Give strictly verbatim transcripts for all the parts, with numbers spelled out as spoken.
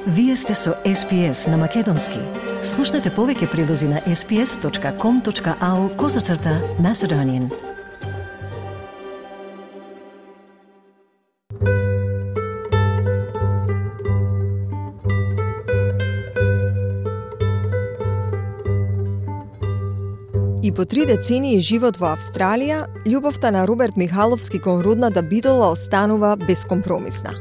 Вие сте со Ес Пи Ес на Македонски. Слушнете повеќе прилози на ес пи ес точка ком точка ау козацрта Macedonian. И по три децении живот во Австралија, љубовта на Роберт Михаловски кон родната Битола останува безкомпромисна.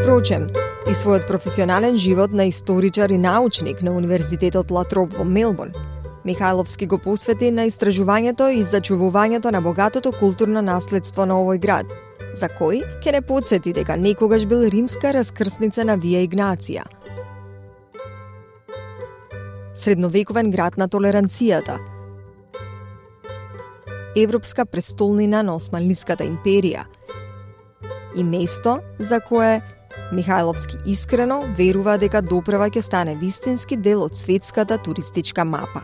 Впрочем, и својот професионален живот на историчар и научник на Универзитетот Ла Троп во Мелбурн, Михаловски го посвети на истражувањето и зачувувањето на богатото културно наследство на овој град, за кој ќе не потсети дека некогаш бил римска раскрсница на Вија Игнација. Средновековен град на толеранцијата, европска престолнина на Османлиската империја и место за кое Михаловски искрено верува дека доправа ќе стане вистински дел од светската туристичка мапа.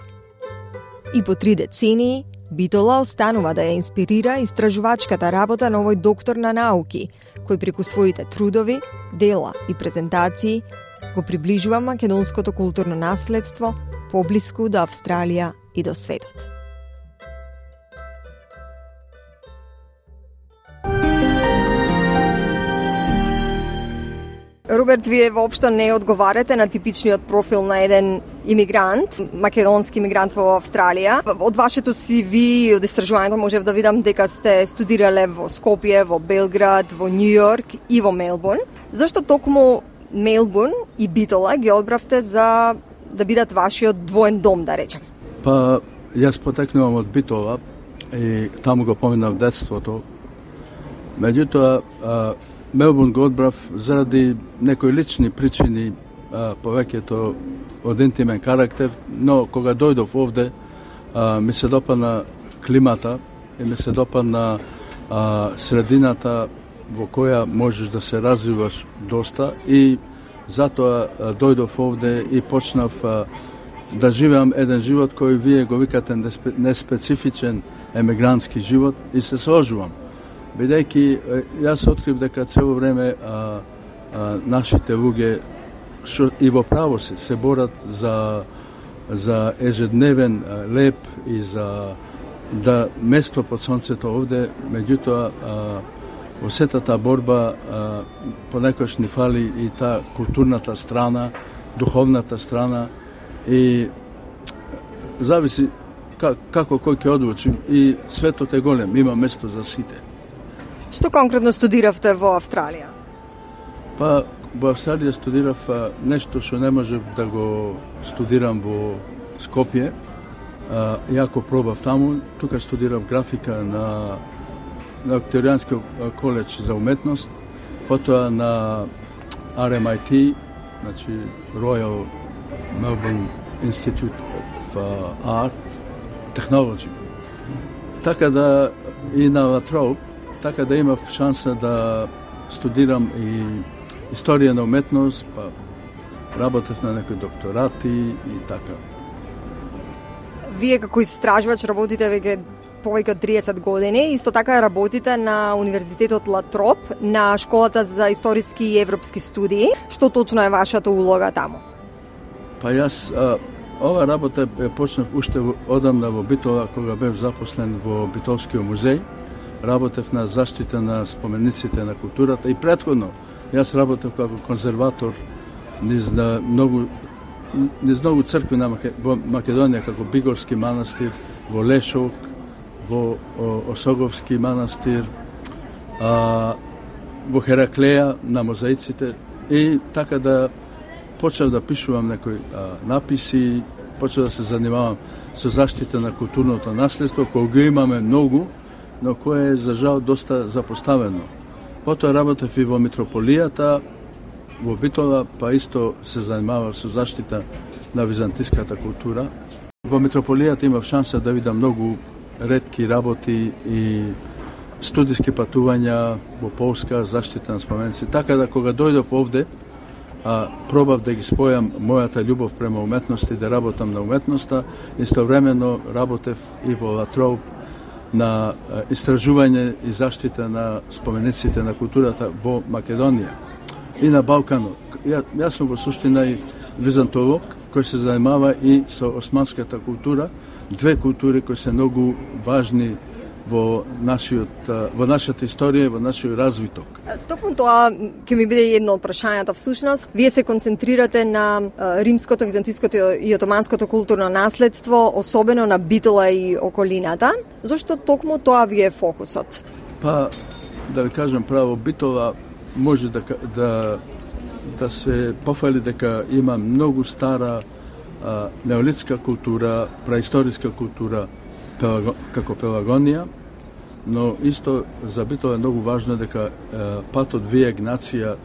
И по три децении, Битола останува да ја инспирира истражувачката работа на овој доктор на науки, кој преку своите трудови, дела и презентации го приближува македонското културно наследство поблиску до Австралија и до светот. Роберт, вие воопшто не одговарате на типичниот профил на еден имигрант, македонски имигрант во Австралија. Од вашето си ви, од истражувањето можев да видам дека сте студирале во Скопје, во Белград, во Њујорк и во Мелбурн. Зашто токму Мелбурн и Битола ги одбравте за да бидат вашиот двоен дом, да речем? Па, јас потекнувам од Битола и таму го поминав детството. Меѓутоа, Мелбурн го одбрав заради некои лични причини, а, повеќето од интимен карактер, но кога дојдов овде, а, ми се допадна климата и ми се допадна а, средината во која можеш да се развиваш доста и затоа а, дојдов овде и почнав а, да живеам еден живот кој вие го викате неспецифичен емигрантски живот и се сложувам. Бидејќи јас открив дека цело време а, а, нашите луѓе шо и во право се се борат за за ежедневен а, леп и за да место под сонцето овде, меѓутоа во сета таа борба а, понекогаш ни фали и таа културната страна, духовната страна и зависи как, како кој ќе одлучи и светот е голем, има место за сите. Што конкретно студиравте во Австралија? Па, во Австралија студирав а, нешто што не можев да го студирам во Скопје. А, јако пробав таму, тука студирав графика на, на Викторијански коледж за уметност, потоа на Ар Ем Ай Ти, значи Royal Melbourne Institute of uh, Art Technology. Така да и на Ла Троп, така да имав шанса да студирам и историја на уметност, па работев на некои докторати и така. Вие како истражувач работите веќе повеќе од триесет години, исто така работите на Универзитетот Ла Троп, на Школата за историски и европски студии. Што точно е вашата улога таму? Па јас а, ова работа ја почнав уште одамна во Битола, кога бев запослен во Битолскиот музеј. Работев на заштита на спомениците на културата и претходно јас работев како конзерватор низ на многу низ многу цркви на во Македонија, како Бигорски манастир, во Лешок, во Осоговски манастир, а, во Хераклеја на мозаиците и така да почнав да пишувам некои а, написи, почнав да се занимавам со заштита на културното наследство, кој го имаме многу, но кое е за жал доста запоставено. Потоа работев и во митрополијата, во Битола, па исто се занимавав со заштита на византиската култура. Во митрополијата имав шанса да видам многу ретки работи и студиски патувања во Полска, заштита на споменици. Така да кога дојдов овде, а, пробав да ги спојам мојата љубов према уметност и да работам на уметноста, истовремено работев и во Ла Троп на истражување и заштита на спомениците на културата во Македонија. и на Балканот. Ја, јас сум во суштина и византолог кој се занимава и со османската култура, две култури кои се многу важни во нашиот во нашата историја, во нашиот развиток. Токму тоа ќе ми биде едно од прашањата всушност. Вие се концентрирате на римското, византиското и отоманското културно наследство, особено на Битола и околината. Зошто токму тоа ви е фокусот? Па да ви кажам право, Битола може да да да се пофали дека има многу стара а, неолитска култура, праисториска култура, пелаго, како Пелагонија, но исто за Битола е многу важно дека е, патот Вија Игнација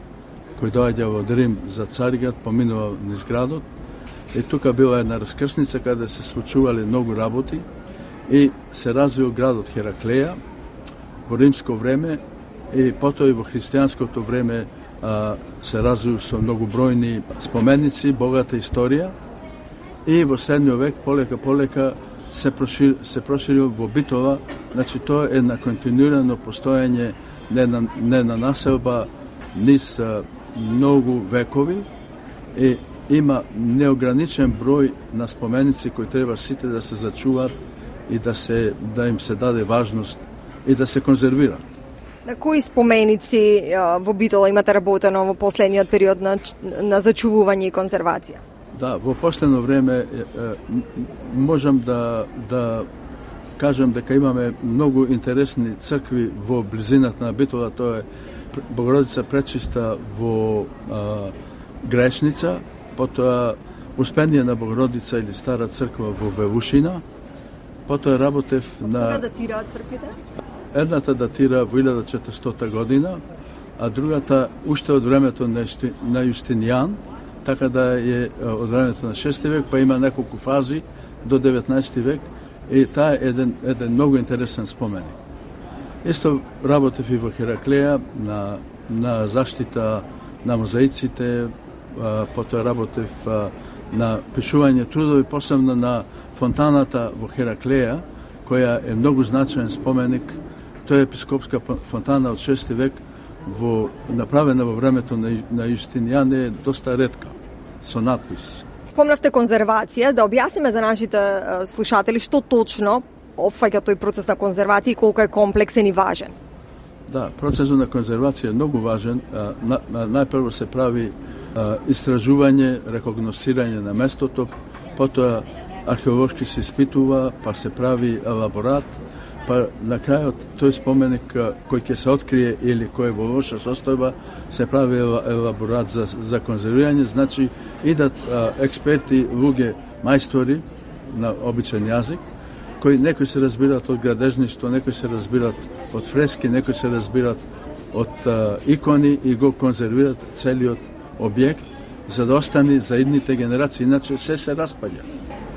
кој доаѓа од Рим за Цариград поминува низ градот и тука била една раскрсница каде се случувале многу работи и се развил градот Хераклеја во римско време и потоа и во христијанското време а, се развил со многу бројни споменици, богата историја и во седмиот век полека полека се прошир, се проширил во Битола, значи тоа е на континуирано постоење не на, не на населба низ а, многу векови и има неограничен број на споменици кои треба сите да се зачуваат и да се да им се даде важност и да се конзервираат. На кои споменици а, во Битола имате работено во последниот период на, на зачувување и конзервација? Да, во последно време е, е, можам да да кажам дека имаме многу интересни цркви во близината на Битола, тоа е Богородица Пречиста во а, Грешница, потоа Успение на Богородица или Стара црква во Вевушина, потоа работев на... Кога датираат црквите? Едната датира во илјада и четиристотина година, а другата уште од времето на, на Јустинијан, така да е од времето на шести век, па има неколку фази до деветнаесети век и таа е еден, еден многу интересен споменик. Исто работев и во Хераклеја на, на заштита на мозаиците, а, потоа работев а, на пишување трудови, посебно на фонтаната во Хераклеја, која е многу значаен споменик. Тоа е епископска фонтана од шести век, во, направена во времето на, на Јустинијан, е доста ретка, со надпис. Спомнавте конзервација, да објасниме за нашите uh, слушатели што точно опфаќа тој процес на конзервација и колку е комплексен и важен. Да, процесот на конзервација е многу важен. А, на, на, најпрво се прави а, истражување, рекогносирање на местото, потоа археолошки се испитува, па се прави елаборат, па на крајот тој споменик кој ќе се открие или кој е во лоша состојба, се прави елаборат за, за конзервирање, значи идат а, експерти, луѓе, мајстори на обичен јазик, кои некои се разбираат од градежништво, некои се разбираат од фрески, некои се разбираат од а, икони и го конзервираат целиот објект за да остане за идните генерации, иначе се се распаѓа.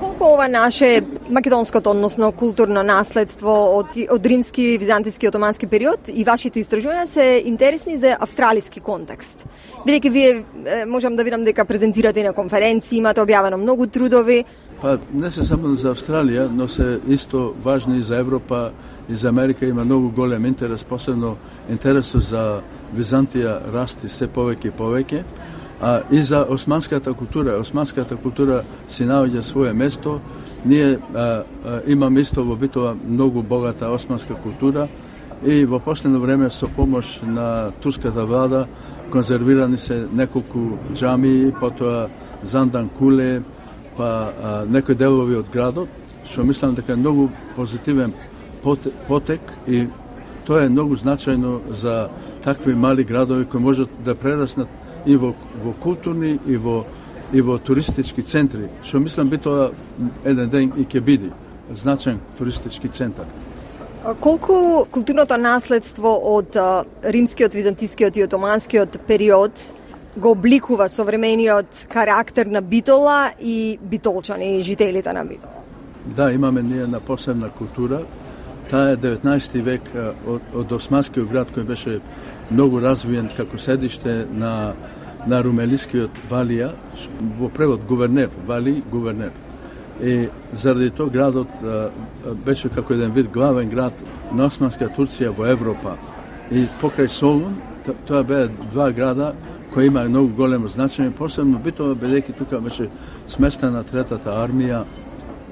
Колку ова наше македонското, односно културно наследство од, од римски, византиски и отомански период и вашите истражувања се интересни за австралиски контекст? Бидејќи вие можам да видам дека презентирате на конференции, имате објавено многу трудови. Па не се само за Австралија, но се исто важни и за Европа и за Америка. Има многу голем интерес, посебно интересот за Византија расти се повеќе и повеќе. А и за османската култура. Османската култура си наоѓа свое место. Ние а, а, имаме исто во Битола многу богата османска култура и во последно време со помош на турската влада конзервирани се неколку џамии, потоа Зандан Куле, па а, некои делови од градот, што мислам дека е многу позитивен потек и тоа е многу значајно за такви мали градови кои можат да прераснат и во, во културни и во и во туристички центри, што мислам би тоа еден ден и ќе биде значаен туристички центар. Колку културното наследство од римскиот, византискиот и отоманскиот период го обликува современиот карактер на Битола и битолчани и жителите на Битола? Да, имаме ние на посебна култура. Таа е деветнаесети век од, од османскиот град кој беше многу развиен како седиште на на румелискиот Валија, во превод гувернер, Вали гувернер. И заради тоа градот а, беше како еден вид главен град на османска Турција во Европа. И покрај Солун, тоа беа два града кој има многу големо значење, посебно Битола, бидејќи тука беше сместена третата армија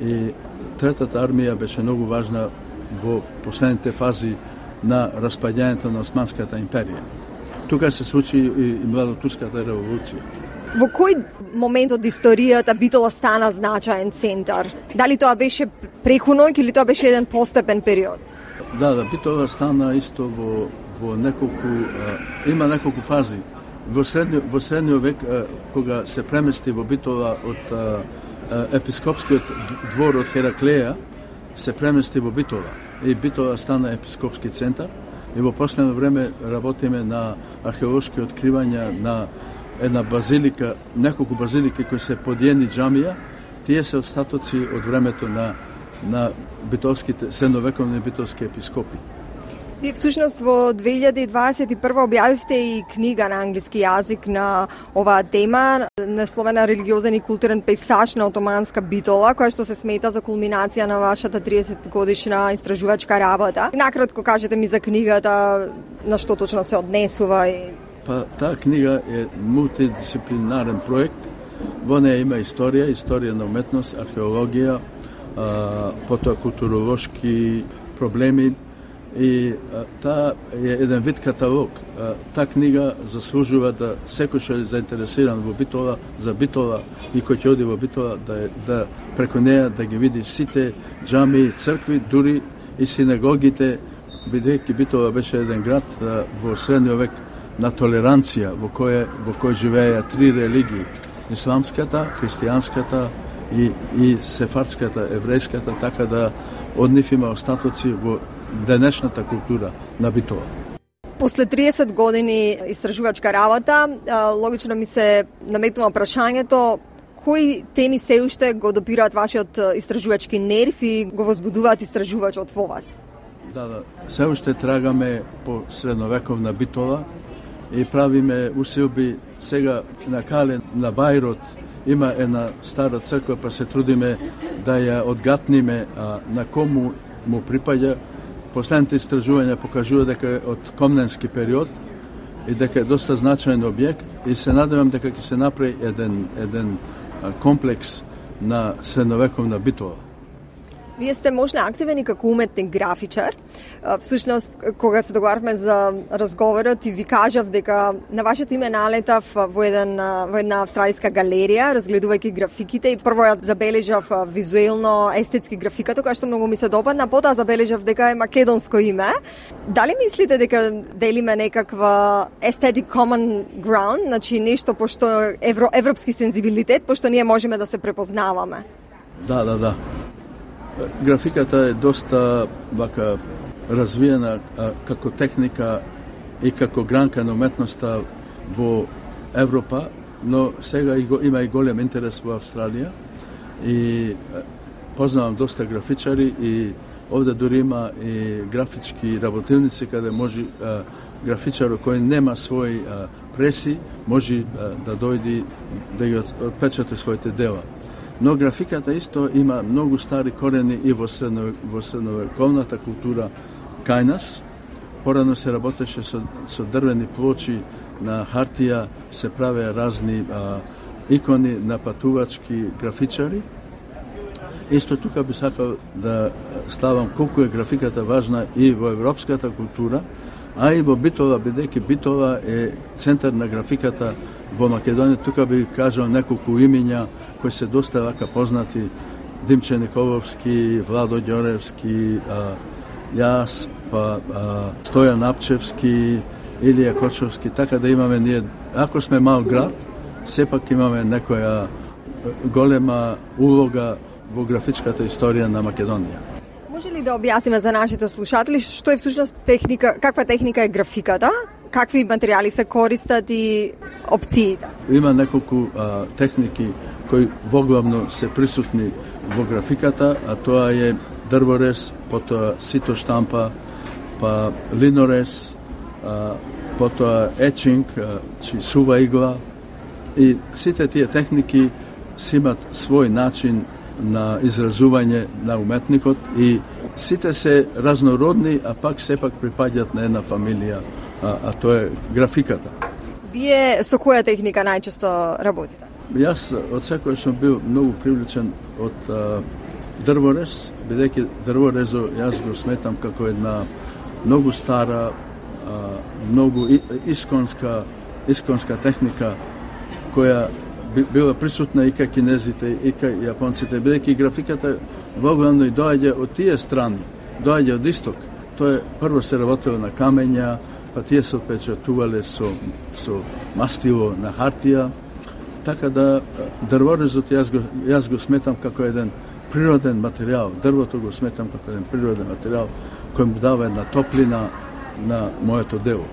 и третата армија беше многу важна во последните фази на распаѓањето на Османската империја. Тука се случи и младотурската револуција. Во кој момент од историјата Битола стана значаен центар? Дали тоа беше преку ноќ или тоа беше еден постепен период? Да, да, Битола стана исто во, во неколку, а, има неколку фази. Во средниот во средниот век, а, кога се премести во Битола од а, а, епископскиот двор од Хераклеја, се премести во Битола. И Битола стана епископски центар. И во последно време работиме на археолошки откривања на една базилика, неколку базилики кои се подиени џамија. Тие се остатоци од времето на на битолските средновековни битолски епископи. Вие всушност во две илјади дваесет и прва објавивте и книга на англиски јазик на оваа тема, насловена Религиозен и културен пейсаж на отоманска Битола, која што се смета за кулминација на вашата триесет годишна истражувачка работа. Накратко кажете ми за книгата, на што точно се однесува и... Па, таа книга е мултидисциплинарен проект. Во неја има историја, историја на уметност, археологија, а, потоа културолошки проблеми и а, таа е еден вид каталог. А, таа книга заслужува да секој што е заинтересиран во Битола, за Битола и кој ќе оди во Битола, да, да преку неја да ги види сите џамии, цркви, дури и синагогите, бидејќи Битола беше еден град а, во средниот век на толеранција, во кој во кој живееја три религии: исламската, христијанската и, и сефардската, еврејската, така да од нив има остатоци во денешната култура на Битола. После триесет години истражувачка работа, логично ми се наметнува прашањето кои теми се уште го допираат вашиот истражувачки нерв и го возбудуваат истражувачот во вас? Да, да. Се уште трагаме по средновековна Битола и правиме усилби. Сега на Кале, на Бајрот, има една стара црква, па се трудиме да ја одгатниме а, на кому му припаѓа. Последните истражувања покажува дека е од комненски период и дека е доста значаен објект и се надевам дека ќе се направи еден, еден а, комплекс на средновековна Битола. Вие сте можна активен и како уметник графичар. Всушност, кога се договарвме за разговорот и ви кажав дека на вашето име налетав во, еден, во една австралиска галерија, разгледувајќи графиките, и прво ја забележав визуелно естетски графиката, која што многу ми се допадна, потоа забележав дека е македонско име. Дали мислите дека делиме некаква aesthetic common ground, значи нешто пошто евро, европски сензибилитет, пошто ние можеме да се препознаваме? Да, да, да. Графиката е доста вака развиена а, како техника и како гранка на уметноста во Европа, но сега и го, има и голем интерес во Австралија и а, познавам доста графичари и овде дури има и графички работилници каде може а, графичар кој нема свој а, преси, може а, да дојди да ги отпечати своите дела. Но графиката исто има многу стари корени и во, средно, во средновековната култура кај нас. Порано се работеше со, со дрвени плочи, на хартија се правеа разни а, икони на патувачки графичари. Исто тука би сакал да ставам колку е графиката важна и во европската култура, а и во Битола, бидејќи Битола е центар на графиката во Македонија. Тука би кажал неколку имиња кои се доста вака познати: Димче Николовски, Владо Ѓоревски, а, јас, па а, Стојан Апчевски, Илија Кочовски, така да имаме ние, ако сме мал град, сепак имаме некоја голема улога во графичката историја на Македонија. Може ли да објасниме за нашите слушатели што е всушност техника, каква техника е графиката? Какви материјали се користат и опциите? Има неколку а, техники кои воглавно се присутни во графиката, а тоа е дрворез, потоа сито штампа, па линорез, а, потоа етчинг, чи сува игла. И сите тие техники си имат свој начин на изразување на уметникот и сите се разнородни, а пак сепак припаѓаат на една фамилија, а, а тоа е графиката. Вие со која техника најчесто работите? Јас од секој сум бил многу привлечен од а, дрворез, бидејќи дрворезо јас го сметам како една многу стара, а, многу исконска, исконска техника која била присутна и кај кинезите, и кај јапонците, бидејќи графиката воглавно и доаѓа од тие страни, доаѓа од исток. Тоа е прво се работело на камења, па тие се отпечатувале со, со мастило на хартија, така да дрворезот јас го, јас го сметам како еден природен материјал. Дрвото го сметам како еден природен материјал кој му дава една топлина на моето дело.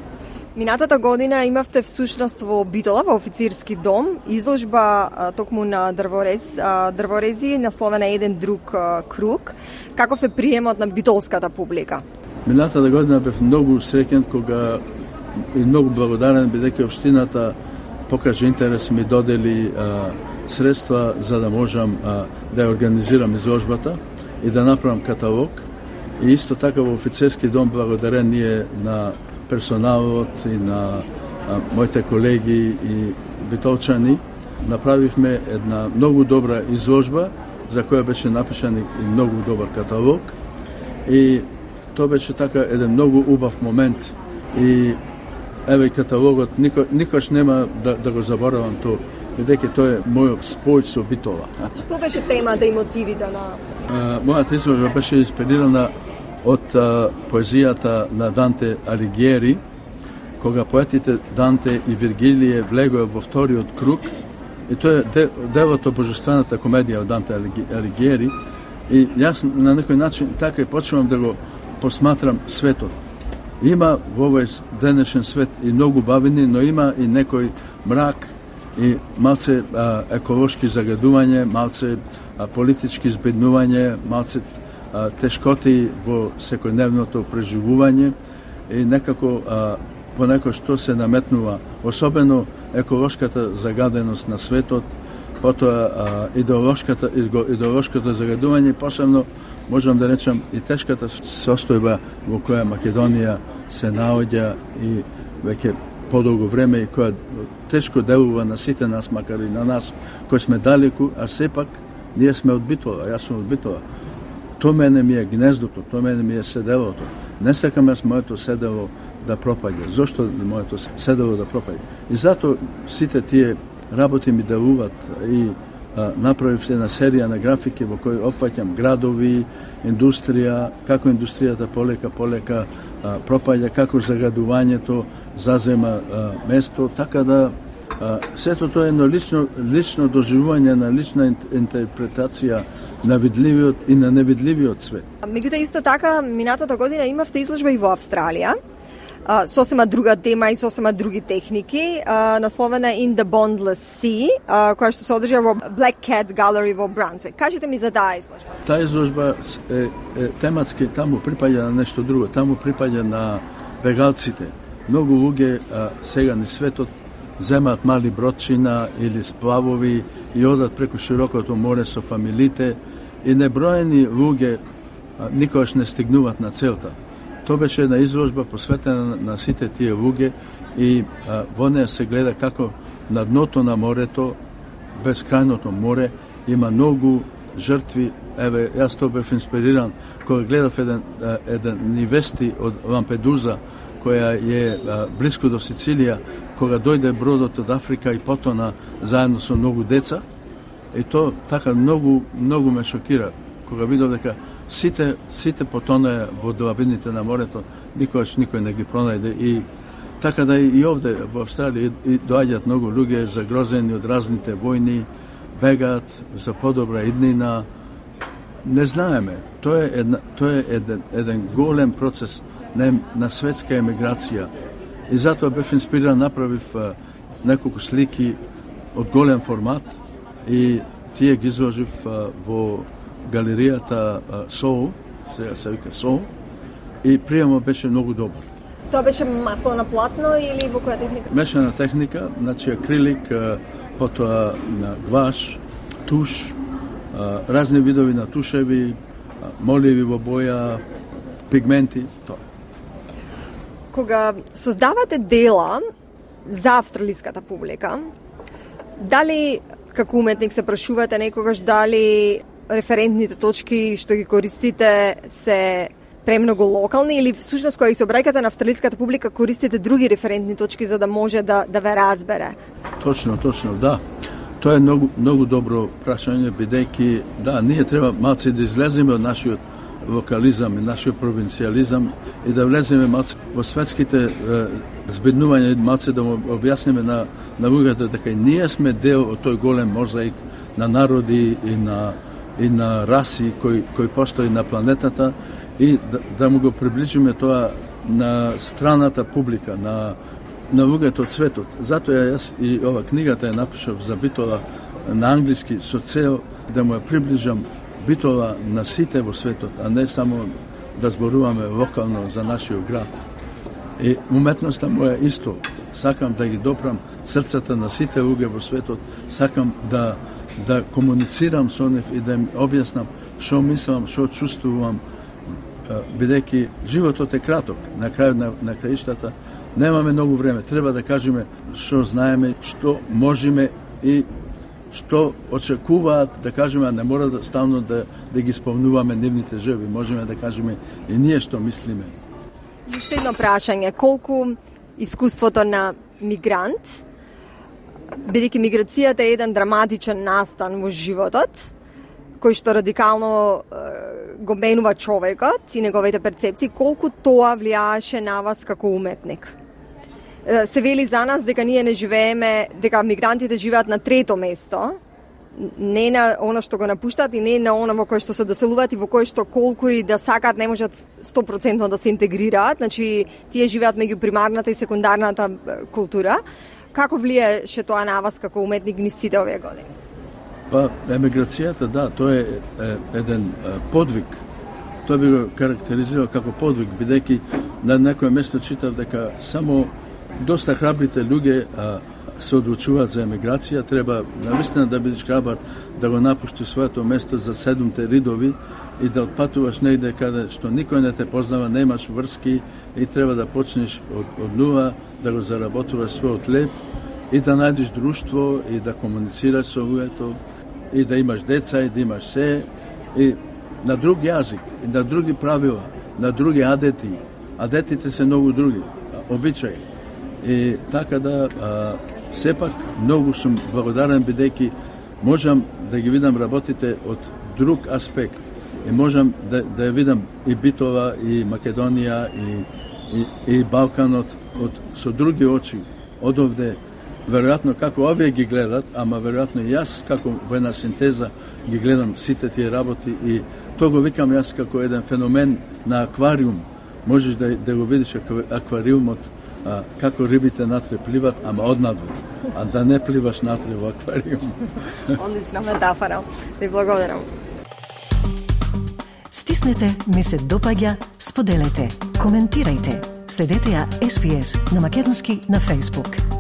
Минатата година имавте всушност во Битола, во официрски дом, изложба а, токму на дрворез, а, дрворези, насловена еден друг а, круг. Каков е приемот на битолската публика? Минатата година бев многу среќен кога и многу благодарен бидејќи општината покажа интерес, ми додели а, средства за да можам а, да ја организирам изложбата и да направам каталог. И исто така во офицерски дом благодарен ние на персоналот и на а, моите колеги и битолчани направивме една многу добра изложба за која беше напишан и многу добар каталог. И тоа беше така еден многу убав момент и еве каталогот никош, никош нема да, да го заборавам тоа, бидејќи тоа е мојот спој со Битола. Што беше темата и мотивите на... А, мојата изложба беше инспирирана од а, поезијата на Данте Алигиери, кога поетите Данте и Виргилие влегоа во вториот круг, и тоа е делото божествената комедија од Данте Алигиери, и јас на некој начин така и почнувам да го посматрам светот. Има во овој денешен свет и многу бавини, но има и некој мрак и малце а, еколошки загадување, малце а, политички збеднување, малце а, тешкоти во секојдневното преживување и некако а, понекој што се наметнува, особено еколошката загаденост на светот, потоа а, идеолошката, идеолошкото загадување, посебно можам да речам и тешката состојба во која Македонија се наоѓа и веќе подолго време и која тешко делува на сите нас, макар и на нас кои сме далеку, а сепак ние сме од Битола, јас сум од Битола. Тоа мене ми е гнездото, тоа мене ми е седелото. Не сакам јас моето седело да пропаѓа. Зошто моето седело да пропаѓа? И затоа сите тие работи ми делуват и а, направив една серија на графики во кои опфаќам градови, индустрија, како индустријата полека полека а, пропаѓа, како загадувањето зазема а, место, така да а, сето тоа е едно лично, лично доживување на лична интерпретација на видливиот и на невидливиот свет. Меѓутоа исто така минатата година имавте изложба и во Австралија, Uh, сосема друга тема и сосема други техники, uh, насловена In the Bondless Sea, uh, која што се одржа во Black Cat Gallery во Брансвик. Кажете ми за таа изложба. Таа изложба е, е тематски, таму припаѓа на нешто друго, таму припаѓа на бегалците. Многу луѓе а, сега ни светот земаат мали бродчина или сплавови и одат преку широкото море со фамилите и неброени луѓе а, никогаш не стигнуваат на целта. Тоа беше една изложба посветена на, на сите тие луѓе и а, во неја се гледа како на дното на морето, безкрајното море, има многу жртви. Еве, јас тоа бев инспириран кога гледав еден, еден невести од Лампедуза, која е а, блиску до Сицилија, кога дојде бродот од Африка и потона заедно со многу деца. И тоа така многу, многу ме шокира, кога видов дека Сите, сите потонаа во длабините на морето, никогаш никој не ги пронајде и така да и овде во Австралија и доаѓаат многу луѓе загрозени од разните војни, бегаат за подобра иднина. Не знаеме, тоа е една, тоа е еден, еден голем процес на, на светска емиграција. И затоа бев инспириран, направив а, неколку слики од голем формат и тие ги изложив а, во галеријата Соул, сега се вика Соул, и приемот беше многу добар. Тоа беше масло на платно или во која техника? Мешана техника, значи акрилик, потоа на гваш, туш, разни видови на тушеви, моливи во боја, пигменти, тоа. Кога создавате дела, за австралиската публика. Дали како уметник се прашувате некогаш дали референтните точки што ги користите се премногу локални или всушност кога се обраќате на австралиската публика користите други референтни точки за да може да да ве разбере? Точно, точно, да. Тоа е многу многу добро прашање, бидејќи да, ние треба малце да излеземе од нашиот локализам и нашиот провинцијализам и да влеземе малце во светските е, збеднувања, малце да му објасниме на на луѓето дека и ние сме дел од тој голем мозаик на народи и на и на раси кои кои постои на планетата и да, да му го приближиме тоа на страната публика, на на луѓето од светот. Затоа јас и ова книгата ја напишав за Битола на англиски со цел да му ја приближам Битола на сите во светот, а не само да зборуваме локално за нашиот град. И уметноста моја исто. Сакам да ги допрам срцата на сите луѓе во светот, сакам да да комуницирам со нив и да им објаснам што мислам, што чувствувам, бидејќи животот е краток. На крајот на, на краиштата немаме многу време. Треба да кажеме што знаеме, што можеме и што очекуваат, да кажеме, а не мора да ставно да, да ги исполнуваме нивните желби. Можеме да кажеме и ние што мислиме. И уште едно прашање, колку искуството на мигрант, бидејќи миграцијата е еден драматичен настан во животот, кој што радикално е, го менува човекот и неговите перцепции, колку тоа влијаеше на вас како уметник? Е, се вели за нас дека ние не живееме, дека мигрантите живеат на трето место, не на она што го напуштат и не на она во кое што се доселуваат и во кое што колку и да сакаат не можат сто проценти да се интегрираат, значи тие живеат меѓу примарната и секундарната култура. Како влијаше тоа на вас како уметник низ сите овие години? Па, емиграцијата, да, тоа е, е еден е, подвиг. Тоа би го карактеризирал како подвиг, бидејќи на некое место читав дека само доста храбрите луѓе а, се одлучуваат за емиграција, треба навистина да бидеш храбар да го напуштиш своето место за седумте ридови и да отпатуваш негде каде што никој не те познава, немаш врски и треба да почнеш од, од нула, да го заработуваш својот леп и да најдеш друштво и да комуницираш со луѓето и да имаш деца и да имаш се и на друг јазик, и на други правила, на други адети. Адетите се многу други, обичаи. И така да а, сепак многу сум благодарен бидејќи можам да ги видам работите од друг аспект и можам да, да ја видам и Битола, и Македонија, и, и, и Балканот од, со други очи, од овде, веројатно како овие ги гледат, ама веројатно и јас како во една синтеза ги гледам сите тие работи и тоа го викам јас како еден феномен на аквариум. Можеш да, да го видиш аквариумот, а, како рибите натре пливат, ама однадвор, а да не пливаш натре во аквариум. Одлична метафора. Ви благодарам. Стиснете, ми се допаѓа, споделете, коментирајте. Следете ја Ес Би Ес на македонски на Facebook.